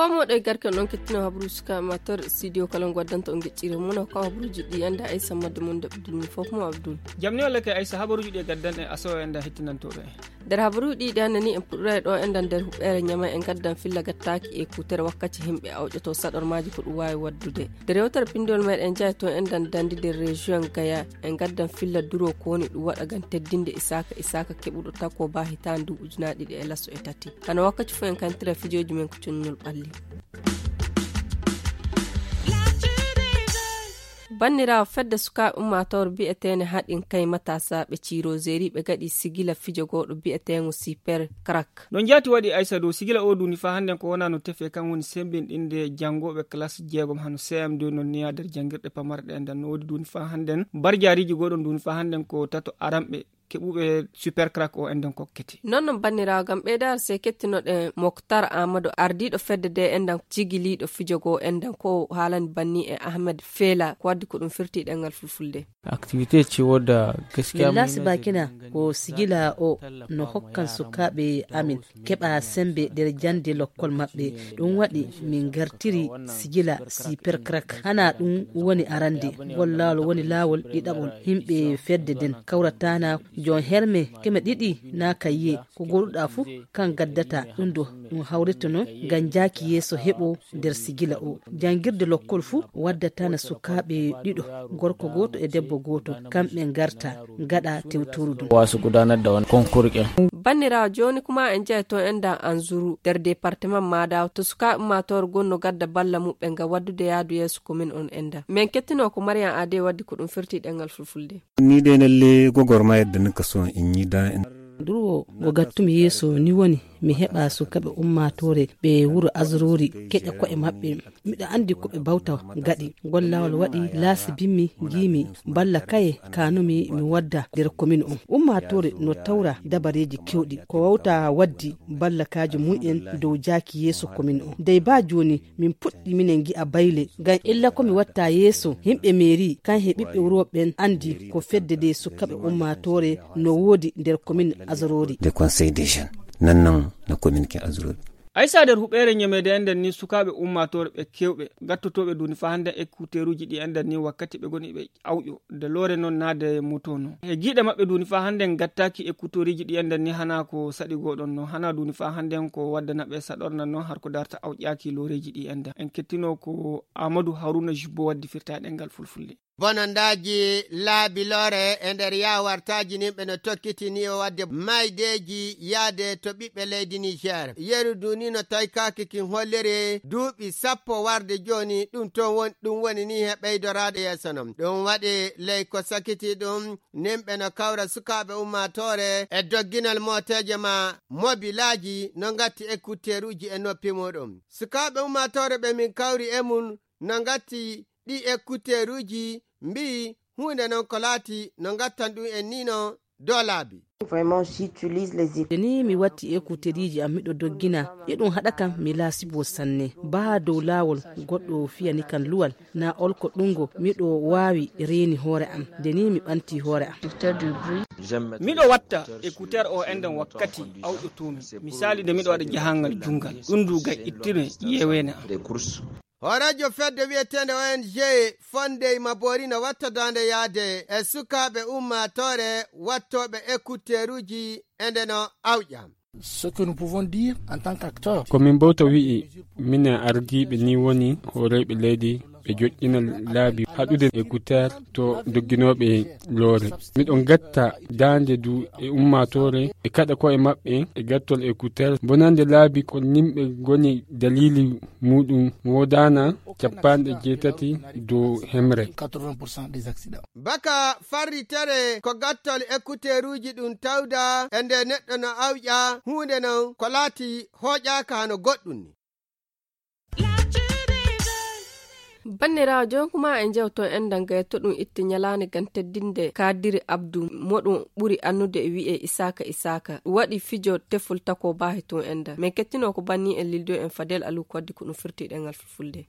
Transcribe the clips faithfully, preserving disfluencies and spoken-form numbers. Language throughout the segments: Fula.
Ko moɗo e garke on kettino habru suka amateur studio kala on waddanta on geccire mum, ko habruji ɗi anda Aissa madde mum daɓɓi dulmi fof mo Abdoul. Jamni walla kay Aissa, habaruji ɗi e gaddan e aso e enda hettinantoɓe. Nder habaruji ɗi ɗi annani en puɗɗora e ɗo endan nder huɓɓere ñama en gaddan filla gattaki e kutere wakkati himɓe awƴoto saɗormaji ko ɗum wawi waddude. Nder yewtere pindol meɗen jaay to endan dandi nder région Gaya en gaddan filla duro ko woni ɗum waɗa ngam teddinde Isaka Isaka keɓuɗo tako ba hitaande ndu ujunaaji ɗiɗi e laso e tati. Hano wakkati fof en kantira fijoji men ko coññol ɓalli. Banniraawo fedde sukaaɓe ummaatoore bi'eteene haɗin kay matasa ɓe ciiro zeri ɓe gaɗi sigila fijo gooɗo bi'eteengo Super Crack. No njaati waɗi Aissa dow sigila o duuni faa hannden ko wonaa no tefe kan woni semmbinɗinde janngooɓe klas jeegom hano C M deux non niyaa nder janngirɗe pamarɗe nden no woodi duuni faa hannden barjaariiji gooɗon duuni faa hannden ko tato aranɓe keɓuɓe Super Crack o enɗen kokkete. Non non banniraawo ngam ɓeydaare sey kettinoɗen Moktar Amadou ardiiɗo fedde de enɗen jigiliiɗo fijo goo enɗen ko haalani banni e Ahmed Fela ko waddi ko ɗum firti ɗengal fulfulde. Activité ci wodda gaskiya. Min laasi bakina ko sigila o no hokkan sukaaɓe amin keɓa sembe nder jannde lokkol maɓɓe. Ɗum waɗi min ngartiri sigila Super Crack. Hana ɗum woni arande ngol laawol woni laawol ɗiɗaɓol. Himɓe fedde nden kawratana jon herme keme ɗiɗi na kayye ko goɗuɗa fuu kan gaddata ɗum ɗo ɗum hawritono ngam jaaki yeeso heɓo nder sigila o. Janngirde lokkol fuu waddatana sukaaɓe ɗiɗo, gorko gooto e debbo gooto, kamɓe ngarta ngaɗa tewtoru ɗum. Wasu gudanar da wani konkur ɗin. Banniraawo jooni kuma en jeyi to enda Anzuru nder département Madaw to sukaaɓe ummaatoore gonno gadda balla muɓɓe ngam waddude yaadu yeeso commune on enda. Men kettino ko Mariam Ade waddi ko ɗum firti ɗengal fulfulde. Ni dai lalle gwagwarmayar da nika so in yi da in. Durwo go gattumi yeeso ni woni mi heɓa sukaaɓe ummaatoore ɓe wuro Azurori keƴa ko'e maɓɓe. Miɗo anndi ko ɓe bawta gaɗi. Ngol laawol waɗi laasi bimmi ngiimi balla kaye kanumi mi wadda nder komin on. Ummaatoore no tawra dabareeji kewɗi ko wawta waddi ballakaaji mum en dow jaaki yeeso komin on. Dey baa jooni min puɗɗi minen ngi'a bayle ngam illa ko mi watta yeeso yimɓe meeri kan he ɓiɓɓe wuro ɓen anndi ko fedde de sukaaɓe ummaatoore no woodi nder komin Azorori. De conseil des jeunes nan nan na komin kin Azorori. Aysa nder huɓeere ñemeede enɗen ni sukaaɓe ummaatoore ɓe kewɓe gattotooɓe duuni faa hannden ekkuteeruuji ɗi enɗen ni wakkati ɓe ngoni ɓe awƴo de loore noon naade moto noon. He giiɗe maɓɓe duuni faa hannden gattaaki ekkuteeruuji ɗi enɗen ni hanaa ko saɗi goo ɗon noon hanaa duuni faa hannden ko waddana ɓe saɗorna noon har ko darta awƴaaki looreeji ɗi enɗen. En kettinoo ko Aamadu Haruna Jubbo waddi firtaaɗe ngal fulfulde. Bonandaaji laabi loore e nder yaawartaaji nimɓe no tokkitini o wadde maydeeji yaade to ɓiɓɓe leydi Niger. Yeru duni no toykaaki kin holliri duuɓi sappo warde jooni ɗum toon won ɗum woni ni he ɓeydoraade yeeso non. Ɗum waɗi ley ko sakiti ɗum nimɓe no kawra sukaaɓe ummaatoore e dogginal mooteeje ma mobilaaji no ngatti ekkuteeruuji e noppi muɗum. Sukaaɓe ummaatoore ɓe min kawri e mum no ngatti ɗi ekkuteeruuji mbi'i huunde non ko laati no ngattan ɗum en ni no dow laabi. Vraiment j'utilise les écouteurs. Ni mi watti écouteuriji am miɗo doggina e ɗum haɗa kam mi laasibo sanne baa dow laawol goɗɗo fiyani kan luwal na olko ɗungo miɗo waawi reeni hoore am nde ni mi ɓanti hoore am. Miɗo watta écouteur o enɗen wakkati awƴotoomi misali nde miɗo waɗa jahangal junngal ɗum du gay ittire yeeweene am. Hooreejo fedde wiyeteende O N G Fondey Mabori no watta daande yaade e sukaaɓe ummaatoore wattooɓe ekkuteeruuji e nde no awƴa. Ce que nous pouvons dire en tant qu'acteur. Ko min mbawta wi'i minen ardiiɓe ni woni hooreeɓe leydi ɓe joƴƴina laabi haɗude ekkuteer to dogginooɓe loore. Miɗo ngatta daande du e ummaatoore e kaɗa koye maɓɓe e gattol ekkuteer bonande laabi ko nimɓe ngoni daliili muɗum woodana capanɗe jeetati dow hemre. Baka farritere ko gattol ekkuteeruuji ɗum tawda e nde neɗɗo no awƴa huunde non ko laati hooƴaaka hano goɗɗum ni. Banniraawo jonkuma e jewto en dangay to ɗum itti ñalaande ngam teddinde kaadiri abdu moɗum ɓuri annude e wi'e isaaka isaaka waɗi fijo tefol tako baahi tun enda min kettino ko banni en lildo en fadel alu kodde ko ɗum firti ɗengal fulfulde.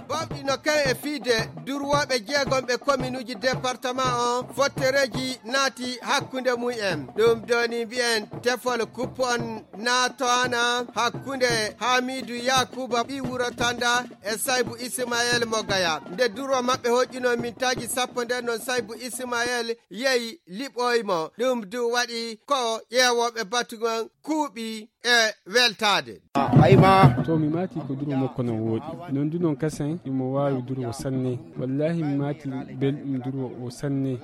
Bawɗi no Kan e fiide durwooɓe jeegom ɓe kominuuji département on, fottereeji naati hakkunde mum en. Ɗum ɗo ni mbiyen tefol kuppon naatoana hakkunde Hamidu Yakuba ɓii wuro Tanda e Saybu Ismael mo Gaya. Nde durwo maɓɓe hoƴƴuno mintaaji sappo nden non Saybu Ismael yehi liɓoyi mo. Ɗum du waɗi ko ƴeewooɓe batu ngon kuuɓi e weltaade. To mi maati ko duro makko no wooɗi. Non du non kasen imo waawi duro o sanne. Wallahi mi maati belɗum duro o sanne.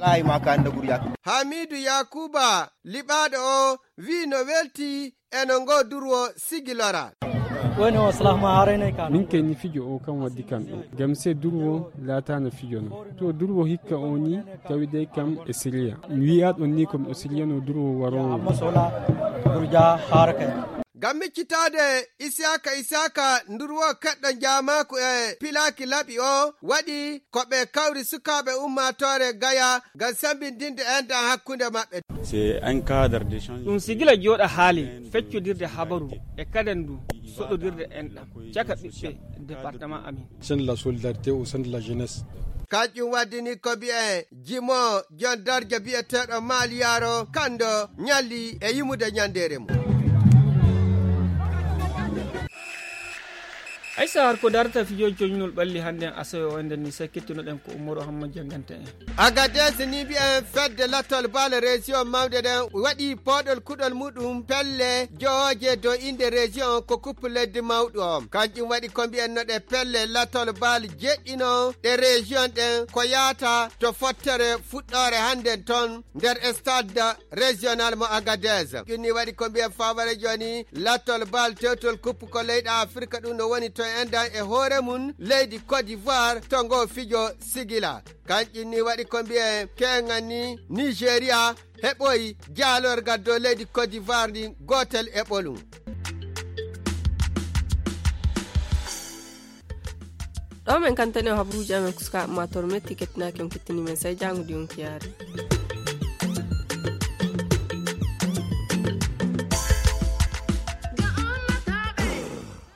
Hamidu Yakuba liɓaaɗo o wii no welti e no ngo durwo sigilora. Woni o salah ma haaraynay kan. Min kay ni fijo o kan waddi kan ɗo. Gam se durwo laatano fijo no. To durwo hikka o ni tawi dey kam e siriya. Mi wi'a ɗon ni ko mi o siriyano durwo warowo. Amma sola durja haara kay. Ngam miccitaade Isiyaaka Isiyaaka ndurwo keɗɗo njaamaaku e pilaaki laɓi o waɗi ko ɓe kawri sukaaɓe ummaatoore Gaya ngam sembindinde enɗan hakkunde maɓɓe. C'est un cadre d'échange. Ɗum sigila jooɗa haali feccodirde habaru e kadandu soɗodirde enɗan caka ɓiɓɓe département amin. Sen la solidarité au sein de la jeunesse. Kanƴum waddini ko mbi'e jimo jon darja bi'eteeɗo maaliyaaro kando ñalli e yimude ñandeere mum. Aysa har ko darata fijo coñnol ɓalli hannde en asawe o enden ni sakkittunoɗen ko ummoro hamma jannganta en. Agadez ni mbi'en fedde lattol baale région mawde ɗen waɗi pooɗol kuɗol muɗum pelle jooje do inde région ko kuppu leddi mawɗo on kanƴum waɗi ko mbi'en no ɗe pelle lattol baal jeɗɗino ɗe région ɗen ko yaata to fottere fuɗɗoore hannden ton nder stade régional mo Agadez. Ɗum ni waɗi ko mbiyen faabare jooni lattol bal tewtol kuppu ko leyɗe Afirka ɗum no woni to endan e hoore mum leydi Côte d'Ivoire to ngo fijo sigila. Kanƴum ni waɗi ko mbiyen keŋan ni Nigeria heɓoyi jaalorgal dow leydi Côte d'Ivoire ndin gootel e ɓolum. Ɗo men kantani o habaruuji amen kuska amma to metti kettinaaki on kettini men sai jaango di on kiyaari.